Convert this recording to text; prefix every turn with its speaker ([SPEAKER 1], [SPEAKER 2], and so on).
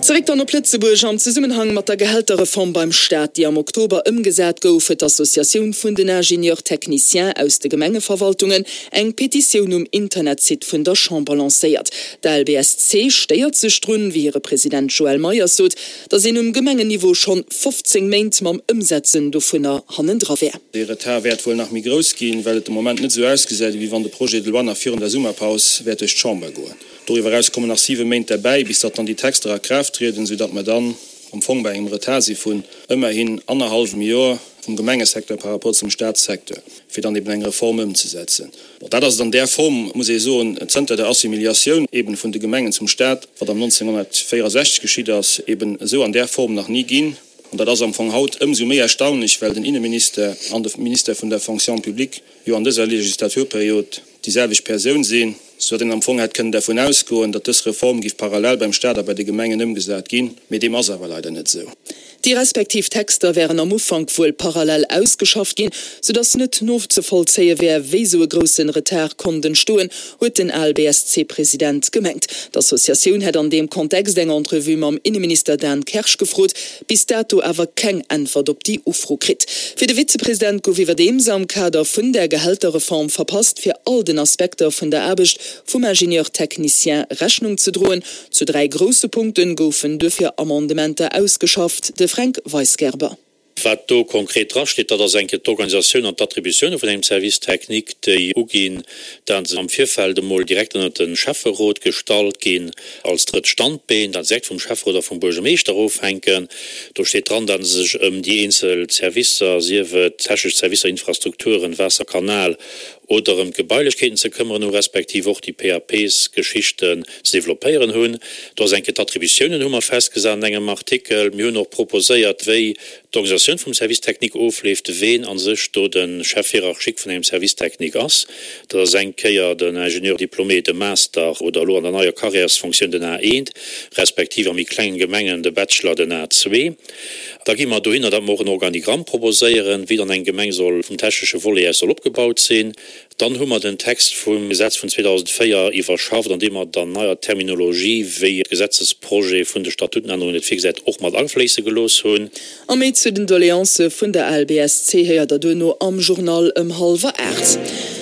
[SPEAKER 1] Zeréck dann op Lëtzebuerg. Am Zesummenhang mat der Gehälterreform beim Staat, déi am Oktober ëmgesat gouf, huet d'Associatioun vun den Ingénieurs techniciens aus de Gemengeverwaltungen eng Petitioun um Internetsite vun der Chamber lancéiert. D'ALBSC stéiert sech drun, wéi hire President Joël Meyers sot, datt een um Gemengenniveau schonn 15 Méint mam Ëmsetzen dovunner hannendra wär.
[SPEAKER 2] Dee Retard wäert wuel nach méi grouss ginn, well et de Moment net esou ausgesäit, ewéi wann de Projet de loi nach virun der Summerpaus wäert duerch d'Chamber goen. Doriwwer eraus kommen nach siwe Méint derbäi, bis datt dann déi Texter a Kraaft trieden, soudatt mer dann am Fong bei engem Retard si vun ëmmerhin annerhallwem Jor vum Gemengesecteur par rapport zum Statssecteur, fir dann eben eng Reform ëmzesetzen. Bon, dat ass et an där Form, muss ee soen, zënter der Assimiliatioun eben vun de Gemengen zum Stat, wat am 1964 geschitt ass, eben esou an där Form nach ni ginn. An dat ass am Fong haut ëmsou méi erstaunlech, well den Inneminister an de Minister vun der Fonction publique jo an dëser Legislaturperiod déi selwecht Persoun sinn, soudatt een am Fong hätt kënnen dervun ausgoen, datt dës Reform géif parallel beim Stat a bei de Gemengen ëmgesat ginn, mee deem ass awer leider net esou.
[SPEAKER 1] Déi respektiv Texter wären am Ufank wuel parallel ausgeschafft ginn, soudatt net nozevollzéie wär, wéi esou e groussen Retard konnt entstoen, huet den ALBSC-President gemengt. D'Associatioun hätt an deem Kontext eng Entrevue mam Inneminister Dan Kersch gefrot, bis dato awer keng Äntwert op déi Ufro kritt. Fir de Vizepresident gouf iwwerdeems am Kader vun der Gehälterreform verpasst, fir all den Aspekter vun der Aarbecht vum Ingénieur technicien Rechnung ze droen. Zu 3 grousse Punkte goufen duerfir Amendementer ausgeschafft. De Fränk Weisgerber.
[SPEAKER 3] Wat do konkret drasteet, dat ass eng Kéier d'Organisatioun an d'Attributioune vun engem Service technique, déi uginn, dat se am Virfeld emol direkt ënnert de Schäfferot gestallt ginn als drëtt Standbeen, dat se direkt vum Schäfferot a vum Buergermeeschter ofhänken. Do steet dran, dat se sech ëm déi eenzel Servicer, sief et technesch Servicer, Infrastrukturen, Waasser, Kanal, oder ëm d'Gebailechkeeten ze këmmeren hu respektiv och déi PAPs-Geschichten ze developpéieren hunn. Do ass eng Kéier d'Attributiounen hu mer festgesat an engem Artikel. Mir hunn och proposéiert, wéi d'Organisatioun vum Service technique ofleeft, ween a sech do de Chef hiérarchique vun engem Service technique ass. Dat ass eng Kéier den Ingénieur diplômé, de Master oder elo an der neier Carrièresfonctioun den A1, respektiv a méi klengen Gemengen de Bachelor, den A2. Da gi mer dohinner, datt mer och en Organigramm proposéieren, wéi dann eng Gemeng soll vum technesche Volet aus soll opgebaut sinn. Dann hu mer den Text vum Gesetz vun 2004 iwwerschafft, an deem mer der neier Terminologie, wéi Gesetzesprojet vun de Statutenännerungen et virgesäit, och mat afléisse gelooss hunn.
[SPEAKER 1] A méi zu den Doleancë vun der ALBSC héiert der duerno am Journal ëm hallwer 8.